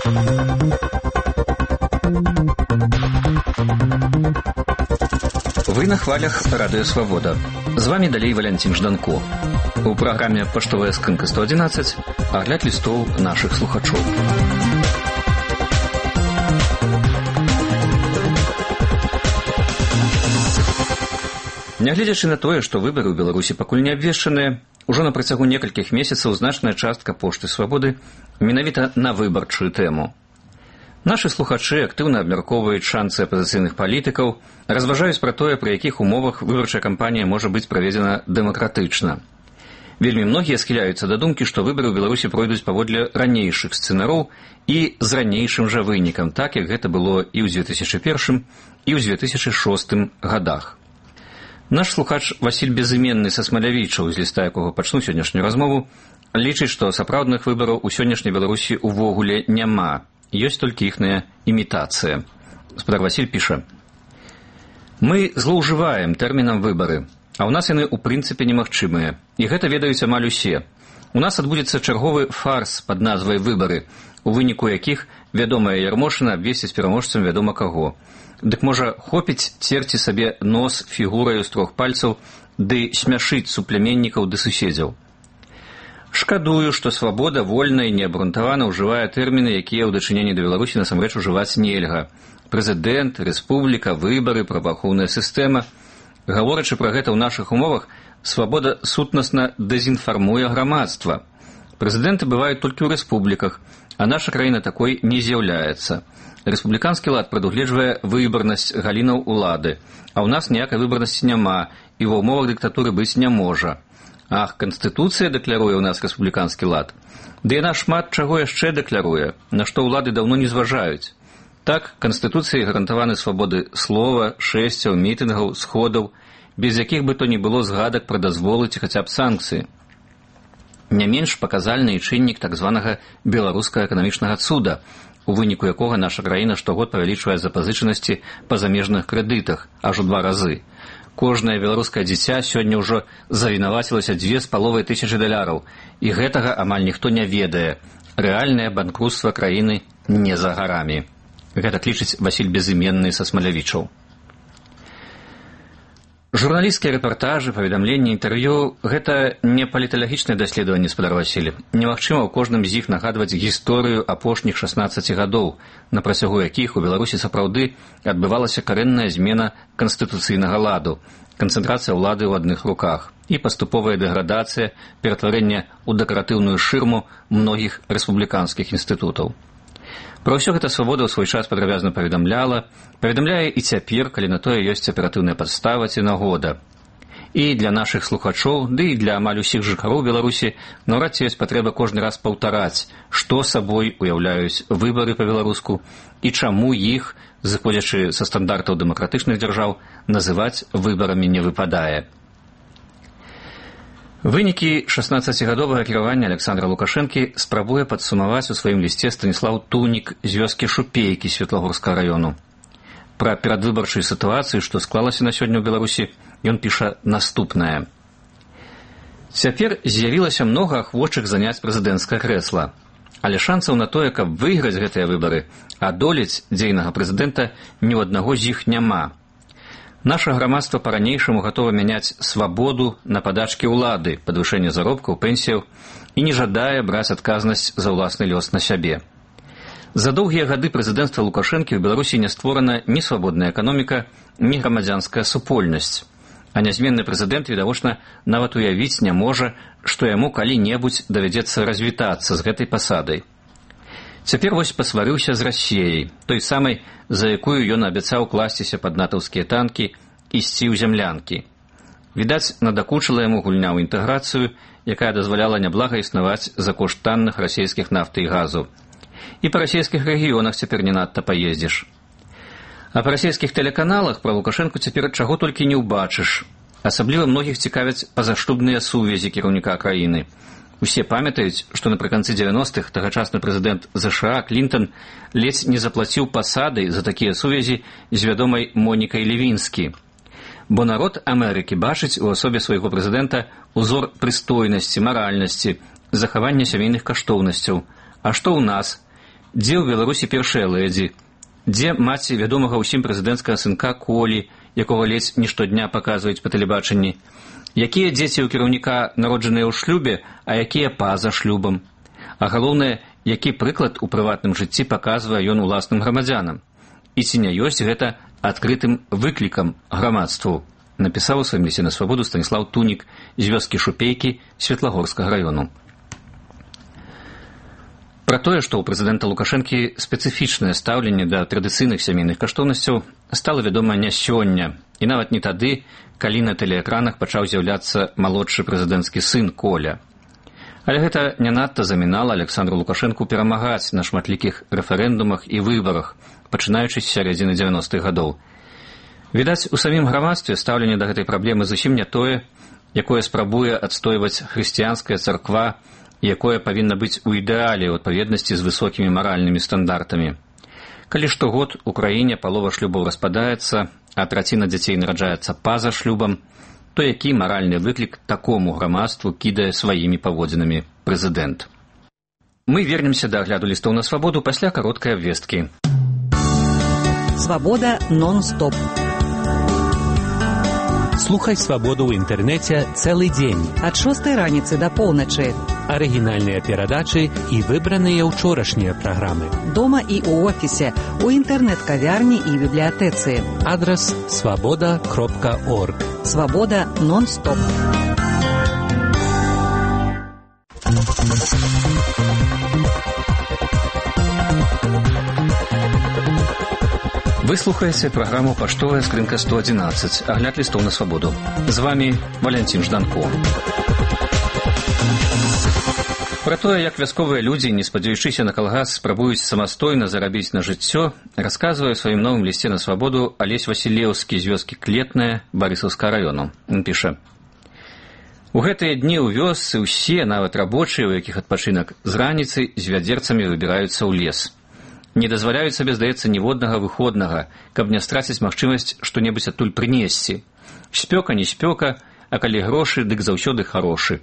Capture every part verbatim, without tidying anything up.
Вы на хвалях Радио Свобода. З вами далей Валентин Жданко. У праграме «Паштовая скрынка сто одиннадцать» агляд лістоў нашых слухачоў. Нягледзячы на тое, што выбары ў Беларусі пакуль не абвешчаныя, ужо на працягу некалькіх месяцаў значная частка пошты «Свабоды» менавіта на выбарчую тэму. Нашы слухачы актыўна абмяркоўваюць шанцы апазіцыйных палітыкаў, разважаюць пра тое, пры якіх умовах выбарчая кампанія можа быць праведзена дэмакратычна. Вельмі многія схіляюцца да думкі, што выбары ў Беларусі пройдуць паводле ранейшых сцэнароў і з ранейшым жа вынікам, так як гэта было і ў дзве тысячы першым, і ў дзве тысячы шостым гадах. Наш слухач Васіль Безыменны са Смалявічаў, з ліста якога пачну сённяшнюю размову, лічыць, што сапраўдных выбараў у сённяшняй Беларусі увогуле няма. Ёсць толькі іхная імітацыя. Гаспадар Васіль піша: «Мы злоўжываем тэрмінам выбары, а ў нас яны ў прынцыпе немагчымыя. І гэта ведаюць амаль усе. У нас адбудзецца чарговы фарс пад назвай «Выбары», у выніку якіх вядомая Ярмошына абвесціць пераможцам вядома каго. Дык можа хопіць церці сабе нос фігураю з трох пальцаў ды смяшыць суплеменнікаў ды суседзяў. Шкадую, што свабода вольна і неабрунтавана ўжывае тэрміны, якія ў дачыненні да Беларусі насамрэч ужываць нельга. Прэзідэнт, рэспубліка, выбары, праваахоўная сістэма. Гаворачы пра гэта ў нашых умовах, свабода сутнасна дэзінфармуе грамадства. Прэзідэнты бываюць толькі ў рэспубліках, а наша краіна такой не з'яўляецца. Рэспубліканскі лад прадугледжвае выбарнасць галінаў улады, а ў нас ніякай выбарнасці няма і ва ўмовах дыктатуры быць не можа. Ах, Канстытуцыя дэкляруе ў нас рэспубліканскі лад. Ды яна шмат чаго яшчэ дэкляруе, на што ўлады даўно не зважаюць. Так, Канстытуцыяй гарантаваны свабоды слова, шэсцяў, мітынгаў, сходаў, без якіх бы то ні было згадак пра дазволы ці хаця б санкцыі. Не менш паказальны і чыннік так званага беларускага эканамічнага цуда, у выніку якога наша краіна штогод павялічвае запазычанасці па замежных крэдытах аж у два разы. Кожнае беларускае дзіця сёння ўжо завінавацілася дзве з паловай тысячы даляраў, і гэтага амаль ніхто не ведае. Рэальнае банкрутства краіны не за гарамі. Гэта клічыць Васіль Безыменны са Смалявічаў. Журналісцкія рэпартажы, паведамленні, інтэрв'ю – гэта не паліталагічнае даследаванне, спадар Васіль. Немагчыма ў кожным з іх нагадваць гісторыю апошніх шаснаццаці гадоў, на працягу якіх у Беларусі сапраўды адбывалася карэнная змена канстытуцыйнага ладу, канцэнтрацыя ўлады ў адных руках і паступовая дэградацыя, ператварэнне ў дэкаратыўную шырму многіх рэспубліканскіх інстытутаў. Пра ўсё гэта свабода ў свой час падрабязна паведамляла, паведамляе і цяпер, калі на тое ёсць аператыўная падстава ці нагода. І для нашых слухачоў, ды і для амаль усіх жыхароў Беларусі наўрад ці ёсць патрэба кожны раз паўтараць, што сабой уяўляюць выбары па-беларуску і чаму іх, зыходзячы са стандартаў дэмакратычных дзяржаў, называць выбарамі не выпадае. Вынікі шаснаццацігадовага кіравання Александра Лукашэнкі спрабуе падсумаваць у сваім лісце Станіслаў Тунік з вёскі Шупейкі Светлагорскага раёну. Пра перадвыбарчую сітуацыю, што склалася на сёння ў Беларусі, ён піша наступнае. Цяпер з'явілася многа ахвочых заняць прэзідэнцкае крэсла, але шансаў на тое, каб выйграць гэтыя выбары, адолець дзейнага прэзідэнта ні ў аднаго з іх няма. Наша грамадства па-ранейшаму гатова мяняць свабоду на падачкі ўлады, падвышэнне заробкаў, пенсіяў і не жадае браць адказнасць за ўласны лёс на сябе. За доўгія гады прэзідэнцтва Лукашэнкі ў Беларусі не створана ні свабодная эканоміка, ні грамадзянская супольнасць. А нязменны прэзідэнт, відавочна, нават уявіць не можа, што яму калі-небудзь давядзецца развітацца з гэтай пасадай. Цяпер вось пасварыўся з Расіяй, той самай, за якую ён абяцаў класціся пад натаўскія танкі, ісці ў зямлянкі. Відаць, надакучыла яму гульня ў інтэграцыю, якая дазваляла няблага існаваць за кошт танных расійскіх нафты і газу. І па расійскіх рэгіёнах цяпер не надта паездзіш. А па расійскіх тэлеканалах пра Лукашэнку цяпер чаго толькі не ўбачыш. Асабліва многіх цікавяць пазашлюбныя сувязі кіраўніка краіны. Усе памятаюць, што напрыканцы дзевяностых тагачасны прэзідэнт ЗША Клінтон ледзь не заплаціў пасады за такія сувязі з вядомай Монікай Левінскі. Бо народ Амерыкі бачыць у асобе свайго прэзідэнта узор прыстойнасці, маральнасці, захавання сямейных каштоўнасцяў. А што ў нас? Дзе ў Беларусі першая лэдзі? Дзе маці вядомага ўсім прэзідэнцкага сынка Колі, якога ледзь не штодня паказваюць па тэлебачанні? Якія дзеці ў кіраўніка народжаныя ў шлюбе, а якія па-за шлюбам? А галоўнае, які прыклад у прыватным жыцці паказвае ён уласным грамадзянам? І ці не ёсць гэта адкрытым выклікам грамадству? Напісаў у сваім лісце на свабоду Станіслаў Тунік з вёскі Шупейкі Светлагорскага раёну. Пра тое, што ў прэзідэнта Лукашэнкі спецыфічнае стаўленне да традыцыйных сямейных каштоўнасцяў стала вядома не сёння, і нават не тады, калі на тэлеэкранах пачаў з'яўляцца малодшы прэзідэнцкі сын Коля. Але гэта не надта замінала Александру Лукашэнку перамагаць на шматлікіх рэферэндумах і выбарах, пачынаючы з сярэдзіны дзевяностых гадоў. Відаць, у самім грамадстве стаўленне да гэтай праблемы зусім не тое, якое спрабуе адстойваць хрысціянская царква, якое павінна быць у ідэале ў адпаведнасці з высокімі маральнымі стандартамі. Калі штогод у краіне палова шлюбаў распадаецца, а траціна дзяцей нараджаецца па-за шлюбам, то які маральны выклік такому грамадству кідае сваімі паводзінамі прэзідэнт? Мы вернемся да агляду лістоў на свабоду пасля кароткай абвесткі. Свабода нон-стоп. Слухай свабоду ў інтэрнэце цэлы дзень. Ад шостай раніцы да поўначы. Арыгінальныя перадачы і выбраныя ўчорашнія праграмы. Дома і ў офісе, у інтэрнэт-кавярні і бібліятэцы. Адрас свабода кропка орг. Свабода нон-стоп. Вы слухаеце праграму «Паштовая скрынка сто адзінаццаць», агляд лістоў на свабоду. З вами Валянцін Жданко. Пра тое, як вясковыя людзі, не спадзяючыся на калгас, спрабуюць самастойна зарабіць на жыццё, расказвае ў сваім новым лісце на свабоду Алесь Васілеўскі з вёскі Клетная Барысаўскага раёну. Ён піша: «У гэтыя дні ў вёсцы ўсе, нават рабочыя, у якіх адпачынак, з раніцы з вядзерцамі выбіраюцца ў лес. Не дазваляюць сабе, здаецца, ніводнага выходнага, каб не страціць магчымасць што-небудзь адтуль прынесці. Спёка не спёка, а калі грошы, дык заўсёды харошы.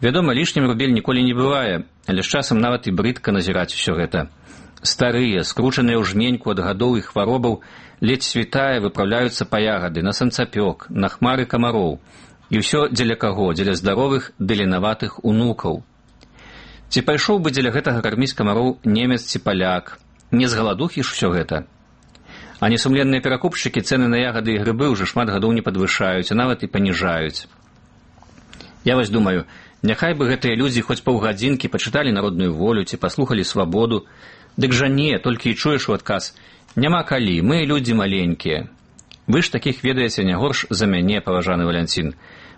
Вядома, лішнім рубель ніколі не бывае, але з часам нават і брыдка назіраць усё гэта. Старыя, скручаныя ў жменьку ад гадоў і хваробаў, ледзь світае выпраўляюцца па ягады, на санцапёк, на хмары камароў. І ўсё дзеля каго? Дзеля здаровых ды ленаватых унукаў. Ці пайшоў бы дзеля гэтага карміць камароў немец ці паляк? Не з галадухі ж усё гэта. А несумленныя перакупшчыкі цэны на ягады і грыбы ўжо шмат гадоў не падвышаюць, а нават і паніжаюць. Я вось думаю, няхай бы гэтыя людзі хоць паўгадзінкі пачыталі народную волю ці паслухалі свабоду, дык жа не, толькі і чуеш у адказ: няма калі, мы людзі маленькія. Вы ж такіх ведаеце не горш за мяне, паважаны Валянцін.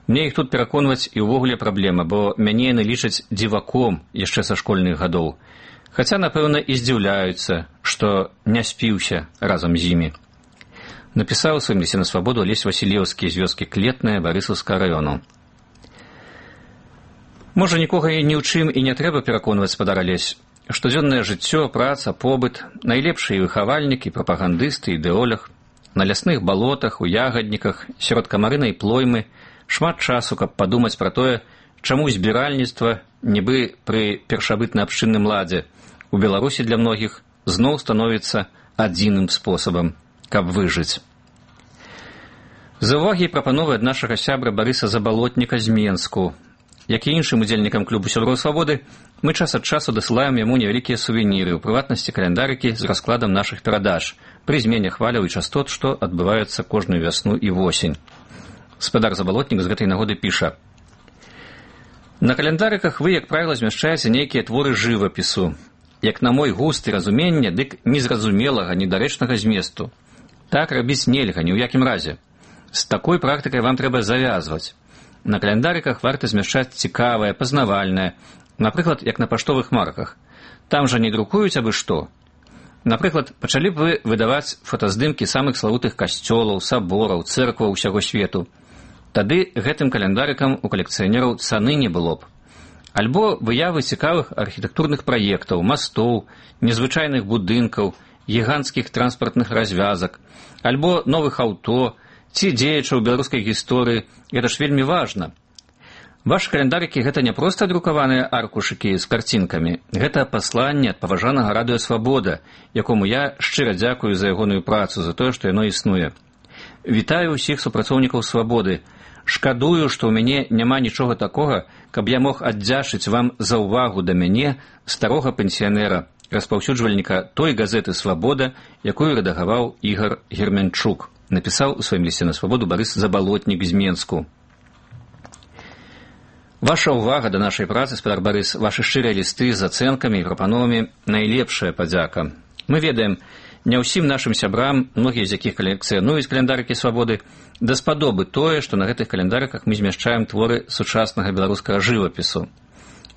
Мне іх тут пераконваць і ўвогуле праблема, бо мяне яны лічаць дзіваком яшчэ са школьных гадоў. Хаця, напэўна, і здзіўляюцца, што не спіўся разам з імі. Напісаў у сваім лісце на свабоду Алесь Васілеўскі з вёскі Клетная Барысаўскага раёну. Можа, нікога і ні ў чым і не трэба пераконваць, спадар Алесь. Штодзённае жыццё, праца, побыт, найлепшы і выхавальнік, і прапагандыст, і ідэолог. На лясных балотах, у ягадніках, сярод камарынай плоймы шмат часу, каб падумаць пра тое, чаму збіральніцтва, нібы пры першабытна-абшчынным ладзе, у Беларусі для многіх зноў становіцца адзіным спосабам, каб выжыць. За ўвагі і прапановы ад нашага сябра Барыса Забалотніка з Менску. Як і іншым удзельнікам клубу сяброў свабоды, мы час ад часу дасылаем яму невялікія сувеніры, у прыватнасці каляндарыкі з раскладам нашых перадач, пры змене хваляў і частот, што адбываюцца кожную вясну і восень. Спадар Забалотнік з гэтай нагоды піша: «На каляндарыках вы, як правіла, змяшчаеце нейкія творы жывапісу. Як на мой густ і разуменне, дык незразумелага, недарэчнага зместу. Так рабіць нельга, ні ў якім разе. З такой практыкай вам трэба завязваць. На каляндарыках варта змяшчаць цікавае, пазнавальнае, напрыклад, як на паштовых марках. Там жа не друкуюць абы што. Напрыклад, пачалі б вы выдаваць фотаздымкі самых славутых касцёлаў, сабораў, цэркваў усяго свету. Тады гэтым каляндарыкам у калекцыянераў цаны не было б. Альбо выявы цікавых архітэктурных праектаў, мастоў, незвычайных будынкаў, гіганцкіх транспартных развязак, альбо новых аўто, ці дзеячаў беларускай гісторыі, гэта ж вельмі важна. Вашы календарыкі — гэта не проста друкаваныя аркушыкі з карцінкамі. Гэта пасланне ад паважанага радыё «Свабода», якому я шчыра дзякую за ягоную працу, за тое, што яно існуе. Вітаю ўсіх супрацоўнікаў «Свабоды». Шкадую, што ў мяне няма нічога такога, каб я мог аддзячыць вам за ўвагу да мяне, старога пенсіянера, распаўсюджвальніка той газеты «Свабода», якую рэдагаваў Ігар Герменчук, напісаў у сваім лісце на «Свабоду» Барыс Забалотнік з Менску. Ваша ўвага да нашай працы, спадар Барыс, вашы шчырыя лісты з ацэнкамі і прапановамі — найлепшая падзяка. Мы ведаем, не ўсім нашым сябрам, многія з якіх калекцыянуюць календарыкі «Свабоды», даспадобы тое, што на гэтых календарыках мы змяшчаем творы сучаснага беларускага жывапісу.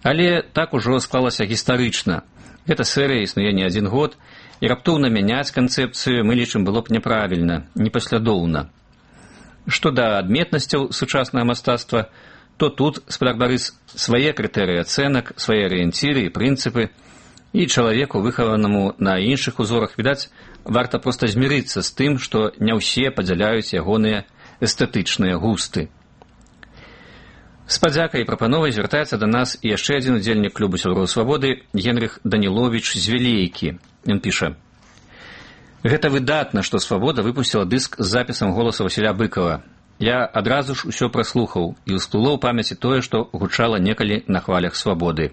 Але так ужо склалася гістарычна. Гэта серыя існуе не адзін год, і раптоўна мяняць канцэпцыю мы лічым было б няправільна, непаслядоўна. Што да адметнасцяў сучаснага мастацтва, то тут, спадар Барыс, свае крытэрыі ацэнак, свае арыенціры і прынцыпы, і чалавеку, выхаванаму на іншых узорах, відаць, варта проста змірыцца з тым, што не ўсе падзяляюць ягоныя эстэтычныя густы. З падзякай і прапановай звяртаецца да нас і яшчэ адзін удзельнік клубу сяброў «Свабоды» Генрых Даніловіч з Вілейкі. Ён піша: «Гэта выдатна, што «Свабода» выпусціла дыск з запісам голаса Васіля Быкова. Я адразу ж усё праслухаў, і ўсплыло ў памяці тое, што гучала некалі на хвалях «Свабоды».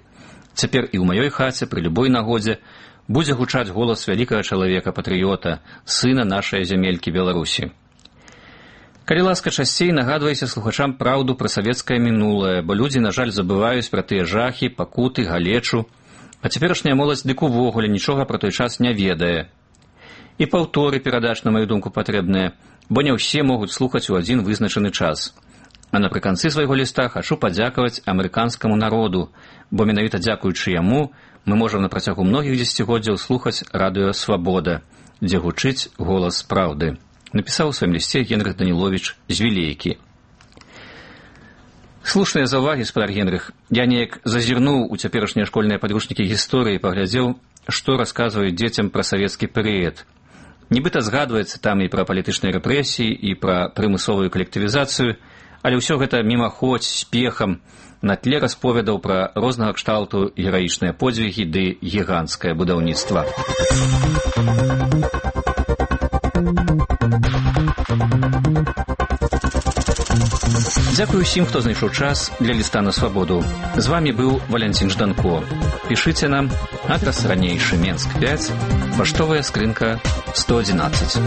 Цяпер і ў маёй хаце пры любой нагодзе будзе гучаць голас вялікага чалавека-патрыёта, сына нашай зямелькі Беларусі. Калі ласка, часцей нагадвайце слухачам праўду пра савецкае мінулае, бо людзі, на жаль, забываюць пра тыя жахі, пакуты, галечу, а цяперашняя моладзь дык увогуле нічога пра той час не ведае. І паўторы перадач, на маю думку, патрэбныя, бо не ўсе могуць слухаць у адзін вызначаны час. А напрыканцы свайго ліста хачу падзякаваць амерыканскаму народу, бо менавіта дзякуючы яму мы можам на працягу многіх дзесяцігоддзяў слухаць радыё «Свабода», дзе гучыць голас праўды. Напісаў у сваім лісце Генрых Даніловіч з Вілейкі. Слушныя заўвагі, спадар Генрых. Я неяк зазірнуў у цяперашнія школьныя падручнікі гісторыі і паглядзеў, што расказваюць дзецям пра савецкі перыяд. Нібыта згадваецца там і пра палітычныя рэпрэсіі, і пра прымусовую калектывізацыю, але ўсё гэта мімаходзь, з пехам, на тле расповедаў пра рознага кшталту гераічныя подзвігі ды гіганцкае будаўніцтва. Дзякую ўсім, хто знайшоў час для ліста на «Свабоду». З вамі быў Валянцін Жданко. Пішыце нам, адрас ранейшы, Менск пяць, паштовая скрынка сто адзінаццаць.